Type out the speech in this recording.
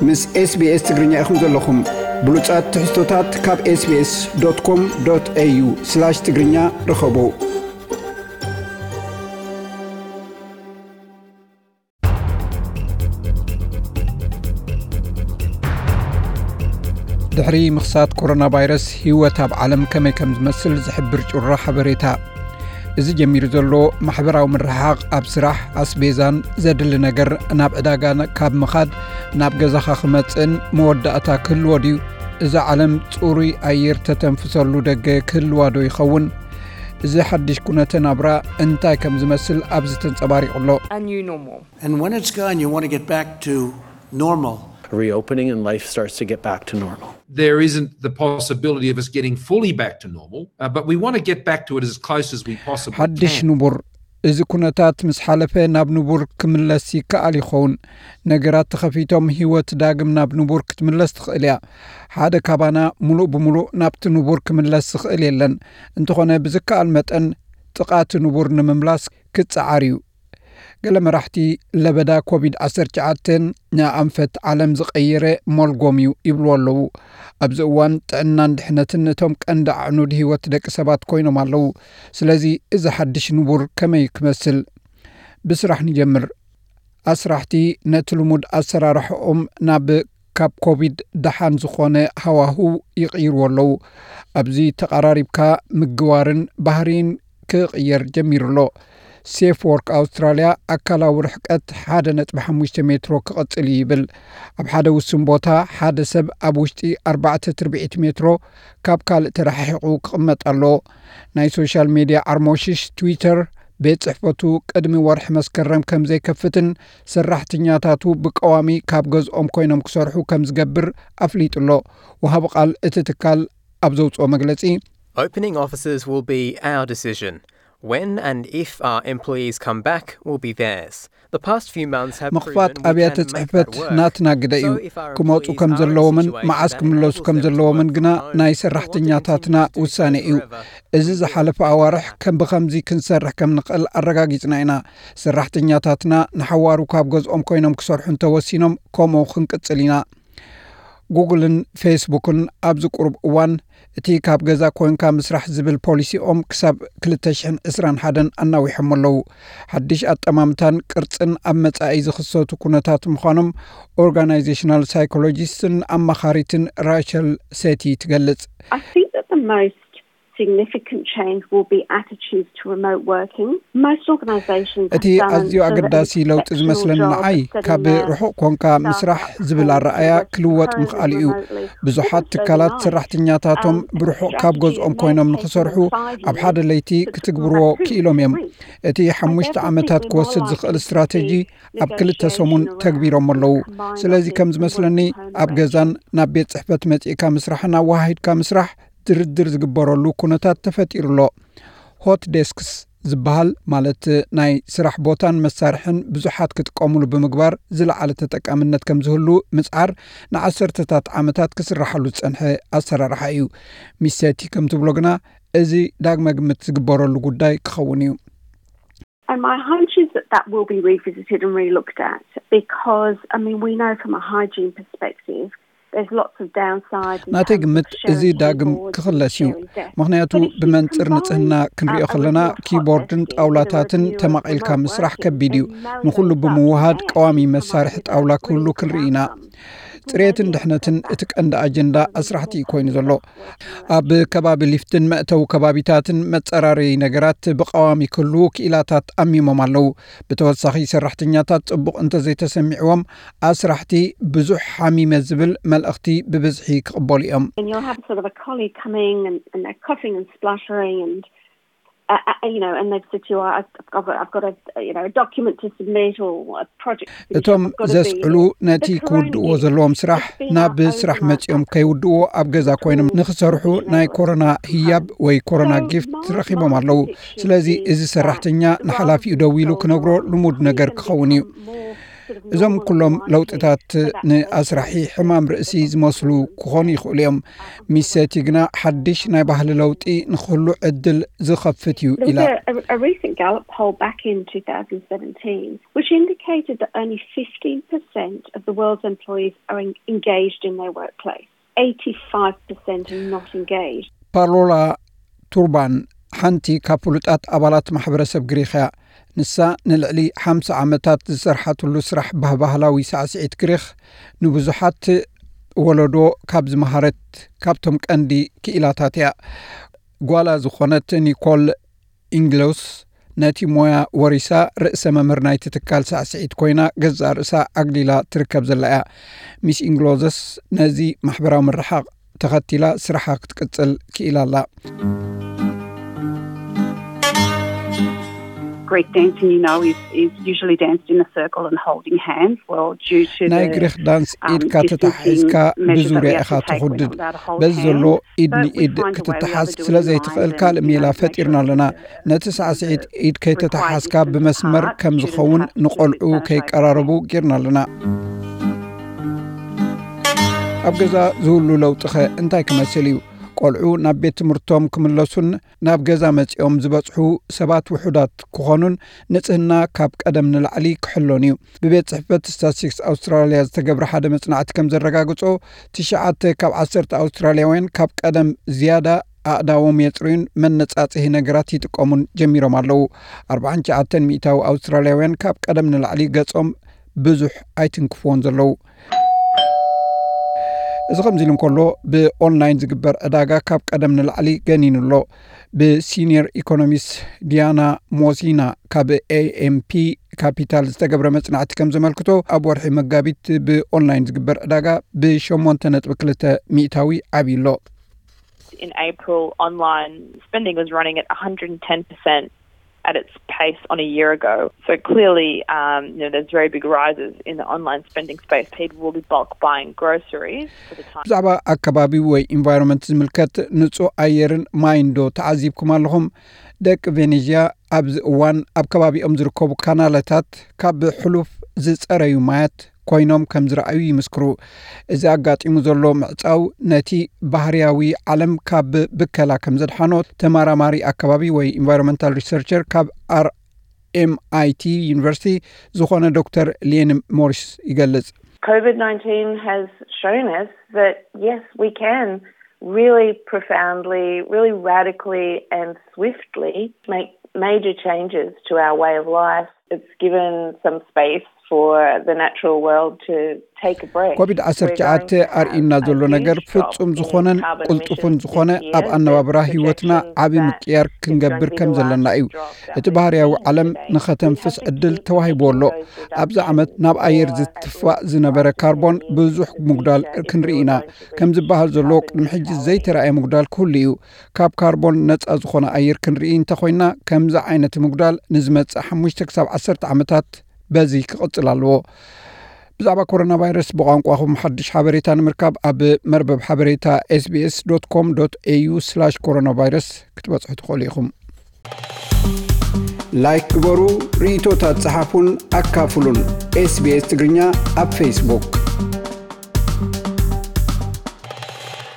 ምስ SBS ትግርኛ ኢኹም ዘለኹም። ብሉጻት ትሕዝቶታት ካብ SBS.com.au/ትግርኛ ርኸቡ። ድሕሪ ምኽሳት ኮሮና ቫይረስ፣ ህይወት ኣብ ዓለም ከመይ ከም ዝመስል ዝሕብር ጩራ ሓበሬታ። እዚ ጀሚሩ ዘሎ ማሕበራዊ ምርሕሓቕ ኣብ ስራሕ፣ ኣስቤዛን ዘድሊ ነገር ናብ ዕዳጋ ካብ ምኻድ ናብ ገዛኻ ክመጽእን መወዳእታ ክህልዎ ድዩ? እዛ ዓለም ጽሩይ ኣየር ተተንፍሰሉ ደገ ክህልዋ ዶ ይኸውን? እዚ ሓድሽ ኩነተ ናብራ እንታይ ከም ዝመስል ኣብዚ ተንጸባሪቑ ኣሎ። A new normal. And when it's gone, you want to get back to normal. Reopening and life starts to get back to normal. There isn't the possibility of us getting fully back to normal, uh, but we want to get back to it as close as we possibly ሓድሽ can. ንቡር። እዚ ኩነታት ምስ ሓለፈ ናብ ንቡር ክምለስ ይከኣል ይኸውን። ነገራት ተኸፊቶም ህይወት ዳግም ናብ ንቡር ክትምለስ ትኽእል እያ። ሓደ ካባና ሙሉእ ብሙሉእ ናብቲ ንቡር ክምለስ ዝኽእል የለን። እንተኾነ ብዝከኣል መጠን ጥቓቲ ንቡር ንምምላስ ክጸዓር እዩ። ገለ መራሕቲ ለበዳ ኮቪድ ዓሰርተ ትሽዓተ ንኣንፈት ዓለም ዝቐየረ ሞልጎም እዩ ይብልዎ ኣለዉ። ኣብዚ እዋን ጥዕናን ድሕነትን እቶም ቀንዲ ኣዕኑድ ህይወት ደቂ ሰባት ኮይኖም ኣለዉ። ስለዚ እዚ ሓድሽ ንቡር ከመይ ክመስል? ብስራሕ ንጀምር። ኣስራሕቲ ነቲ ልሙድ ኣሰራርሕኦም ናብ ካብ ኮቪድ ደሓን ዝኾነ ሃዋህው ይቕይርዎ ኣለዉ። ኣብዚ ተቐራሪብካ ምግባርን ባህሪን ክቕየር ጀሚሩ ኣሎ። ሴፍ ወርክ ኣውስትራልያ ኣካላዊ ርሕቀት ሓደ ነጥቢ ሓሙሽተ ሜትሮ ክቕጽል እዩ ይብል። ኣብ ሓደ ውሱን ቦታ ሓደ ሰብ ኣብ ውሽጢ ኣርባዕተ ትርብዒት ሜትሮ ካብ ካልእ ተረሓሒቑ ክቕመጥ ኣለዎ። ናይ ሶሻል ሜድያ ዓርሞሽሽ ትዊተር ቤት ጽሕፈቱ ቅድሚ ወርሒ መስከረም ከም ዘይከፍትን ሰራሕተኛታቱ ብቀዋሚ ካብ ገዝኦም ኮይኖም ክሰርሑ ከም ዝገብር ኣፍሊጡ ኣሎ። ወሃቢ ቃል እቲ ትካል ኣብ ዘውፅኦ መግለፂ Opening offices will be our decision. When and if our employees come back will be theirs. The past few months have ምኽፋት proven we ኣብያተ can make ጽሕፈት that work. ናትና ግደ እዩ። So if our ክመፁ employees ከም are in a ዘለዎምን situation መዓስ that ክምለሱ enables ከም them to ዘለዎምን work ግና from home, ናይ we want to ሰራሕተኛታትና continue to do ውሳነ that እዩ። forever. እዚ ዝሓለፈ ኣዋርሕ ከም ብኸምዚ ክንሰርሕ ከም ንኽእል ኣረጋጊፅና ኢና። ሰራሕተኛታትና ንሓዋሩ ካብ ገዝኦም ኮይኖም ክሰርሑ እንተወሲኖም ከምኡ ክንቅፅል ኢና። ጉግልን ፌስቡክን ኣብዚ ቁሩብ እዋን እቲ ካብ ገዛ ኮይንካ ምስራሕ ዝብል ፖሊሲኦም ክሳብ ክልተ ሽሕን ዕስራን ሓደን ኣናዊሖም ኣለዉ። ሓድሽ ኣጠማምታን ቅርጽን ኣብ መጻኢ ዝኽሰቱ ኩነታት ምዃኖም ኦርጋናይዜሽናል ሳይኮሎጂስትን ኣማኻሪትን ራቸል ሴቲ ትገልጽ። I think that the most significant change will be attitudes to remote working. Most organizations እቲ ኣዝዩ ኣገዳሲ ለውጢ ዝመስለኒ ንዓይ ካብ ርሑቕ ኮንካ ምስራሕ ዝብል ኣረኣያ ክልወጥ ምኽኣል እዩ። ብዙሓት ትካላት ሰራሕተኛታቶም ብርሑቕ ካብ ገዝኦም ኮይኖም ንኽሰርሑ ኣብ ሓደ ለይቲ ክትግብርዎ ክኢሎም እዮም። እቲ ሓሙሽተ ዓመታት ክወስድ ዝኽእል ስትራተጂ ኣብ ክልተ ሰሙን ተግቢሮም ኣለዉ። ስለዚ ከም ዝመስለኒ ኣብ ገዛን ናብ ቤት ጽሕፈት መጺእካ ምስራሕን ኣወሃሂድካ ምስራሕ ድርድር ዝግበረሉ ኩነታት ተፈጢሩ ኣሎ። ሆት ዴስክስ ዝበሃል ማለት ናይ ስራሕ ቦታን መሳርሕን ብዙሓት ክጥቀሙሉ ብምግባር ዝለዓለ ተጠቃምነት ከም ዝህሉ ምጽዓር ንዓሰርተታት ዓመታት ክስራሓሉ ዝጸንሐ ኣሰራርሓ እዩ። ሚስ ሴቲ ከም ትብሎ ግና እዚ ዳግመ ግምት ዝግበረሉ ጉዳይ ክኸውን እዩ። And my hunch is that that will be revisited and relooked at because, I mean, we know from a hygiene perspective, there's lots of downsides. ናተይ ግምት እዚ ዳግም ክኽለስ እዩ። ምኽንያቱ ብመንጽር ንጽህና ክንሪኦ ከለና ኪቦርድን ጣውላታትን ተማቒልካ ምስራሕ ከቢድ እዩ። ንኹሉ ብምውሃድ ቀዋሚ መሳርሒ ጣውላ ክህሉ ክንርኢ ኢና። ጽሬትን ድሕነትን እቲ ቀንዲ ኣጀንዳ ኣስራሕቲ እዩ ኮይኑ ዘሎ። ኣብ ከባቢ ሊፍትን መእተዊ ከባቢታትን መጸራረዪ ነገራት ብቐዋሚ ክህልዉ ክኢላታት ኣሚሞም ኣለዉ። ብተወሳኺ ሰራሕተኛታት ጽቡቕ እንተዘይተሰሚዕዎም ኣስራሕቲ ብዙሕ ሓሚመ ዝብል መልእኽቲ ብብዝሒ ክቕበሉ እዮም። And you'll have sort of a colleague coming and, and they're coughing and spluttering and uh, uh, you know, and they've said to you, I've, I've got, I've got a, you know, a document to submit or a project to finish. እቶም ዘስዕሉ ነቲ ክውድእዎ ዘለዎም ስራሕ ናብ ስራሕ መጺኦም ከይውድእዎ ኣብ ገዛ ኮይኖም ንኽሰርሑ ናይ ኮሮና ህያብ ወይ ኮሮና ጊፍት ረኺቦም ኣለዉ። ስለዚ እዚ ሰራሕተኛ ንሓላፊኡ ደዊሉ ክነግሮ ልሙድ ነገር ክኸውን እዩ። እዞም ኩሎም ለውጥታት ንኣስራሒ ሕማም ርእሲ ዝመስሉ ክኾኑ ይኽእሉ እዮም። ሚስ ሴቲ ግና ሓድሽ ናይ ባህሊ ለውጢ ንክህሉ ዕድል ዝኸፍት እዩ ኢላ። A recent Gallup poll back in two thousand seventeen, which indicated that only fifteen percent of the world's employees are engaged in their workplace. Eighty-five percent are not engaged. ፓሎላ ቱርባን ሓንቲ ካብ ፍሉጣት ኣባላት ማሕበረሰብ ግሪኽ እያ። ንሳ ንልዕሊ ሓምሳ ዓመታት ዝሰርሓትሉ ስራሕ ባህባህላዊ ሳዕስዒት ግሪኽ ንብዙሓት ወለዶ ካብ ዝመሃረት ካብቶም ቀንዲ ክኢላታት እያ። ጓላ ዝኾነት ኒኮል ኢንግሎስ ነቲ ሞያ ወሪሳ ርእሰ መምህር ናይቲ ትካል ሳዕስዒት ኮይና ገዛእ ርእሳ ኣግሊላ ትርከብ ዘላ እያ። ሚስ ኢንግሎዘስ ነዚ ማሕበራዊ ምርሓቕ ተኸቲላ ስራሓ ክትቅጽል ክኢላ ኣላ። Greek dancing, you know, is, is usually danced in a circle and holding hands. Well, due to ናይ ግሪክ ዳንስ ኢድካ ተታሒዝካ ብዙርያ ኢኻ ትኹድድ። በዚ ዘሎ ኢድ ንኢድ ክትተሓዝ ስለ ዘይትኽእል ካልእ ሜላ ፈጢርና ኣለና። ነቲ ሳዕስዒት ኢድ ከይተተሓዝካ ብመስመር ከም ዝኸውን ንቆልዑ ከይቀራረቡ ጌርና ኣለና። ኣብ ገዛ ዝህሉ ለውጥኸ እንታይ ክመስል እዩ? ቆልዑ ናብ ቤት ትምህርቶም ክምለሱን ናብ ገዛ መጺኦም ዝበጽሑ ሰባት ውሑዳት ክኾኑን ንጽህና ካብ ቀደም ንላዕሊ ክሕሎን እዩ። ብቤት ጽሕፈት ስታትስቲክስ ኣውስትራልያ ዝተገብረ ሓደ መጽናዕቲ ከም ዘረጋግጾ ትሽዓተ ካብ ዓሰርተ ኣውስትራልያውያን ካብ ቀደም ዝያዳ ኣእዳዎም የጽርዩን መነጻጽሂ ነገራት ይጥቀሙን ጀሚሮም ኣለዉ። ኣርባዓን ትሽዓተን ሚእታዊ ኣውስትራልያውያን ካብ ቀደም ንላዕሊ ገጾም ብዙሕ ኣይትንክፍዎን ዘለዉ። እዚ ከምዚ ኢሉ እንከሎ ብኦንላይን ዝግበር ዕዳጋ ካብ ቀደም ንላዕሊ ገኒኑ ኣሎ። ብሲኒየር ኢኮኖሚስት ዲያና ሞሲና ካብ ኤኤምፒ ካፒታል ዝተገብረ መጽናዕቲ ከም ዘመልክቶ ኣብ ወርሒ መጋቢት ብኦንላይን ዝግበር ዕዳጋ ብሸሞንተ ነጥቢ ክልተ ሚእታዊ ዓብዩ ኣሎ። In April, online spending was running at one hundred ten percent at its pace on a year ago. So clearly, um, you know, there's very big rises in the online spending space. People will be bulk buying groceries for the time. ብዛዕባ ኣከባቢ ወይ ኢንቫይሮንመንት ዝምልከት ንጹህ ኣየርን ማይን ዶ ተዓዚብኩም ኣለኹም? ደቂ ቬኔዝያ ኣብዚ እዋን ኣብ ከባቢኦም ዝርከቡ ካናለታት ካብ ሕሉፍ ዝጸረዩ ማያት ኮይኖም ከም ዝረኣዩ ይምስክሩ። እዚ ኣጋጢሙ ዘሎ ምዕጻው ነቲ ባህርያዊ ዓለም ካብ ብከላ ከም ዘድሓኖ ተመራማሪ ኣከባቢ ወይ ኢንቫይሮንመንታል ሪሰርቸር ካብ ኣር ኤምኣይቲ ዩኒቨርሲቲ ዝኾነ ዶክተር ሊየን ሞሪስ ይገልጽ። COVID nineteen has shown us that yes, we can really profoundly, really radically and swiftly make major changes to our way of life. It's given some space for the natural world to take a break. ኮቪድ ዓሰርተ ትሽዓተ ኣርእዩና ዘሎ ነገር ፍጹም ዝኾነን ቅልጡፍን ዝኾነ ኣብ ኣነባብራ ህይወትና ዓቢ ምቅያር ክንገብር ከም ዘለና እዩ። እቲ ባህርያዊ ዓለም ንኸተንፍስ ዕድል ተዋሂብዎ ኣሎ። ኣብዚ ዓመት ናብ ኣየር ዝትፋእ ዝነበረ ካርቦን ብዙሕ ምጉዳል ክንርኢ ኢና። ከም ዝበሃል ዘሎ ቅድሚ ሕጂ ዘይተራእየ ምጉዳል ክህሉ እዩ። ካብ ካርቦን ነጻ ዝኾነ ኣየር ክንርኢ እንተኾይና ከምዚ ዓይነት ምጉዳል ንዝመጽእ ሓሙሽተ ክሳብ ዓሰርተ ዓመታት በዚ ክቕጽል ኣለዎ። ብዛዕባ ኮሮና ቫይረስ ብቋንቋኹም ሓድሽ ሓበሬታ ንምርካብ ኣብ መርበብ ሓበሬታ ኤስቢኤስ ዶት ኮም ዶት ኤዩ ስላሽ ኮሮና ቫይረስ ክትበጽሑ ትኽእሉ ኢኹም። ላይክ ግበሩ፣ ርእይቶታት ጸሓፉን ኣካፍሉን። ኤስቢኤስ ትግርኛ ኣብ ፌስቡክ።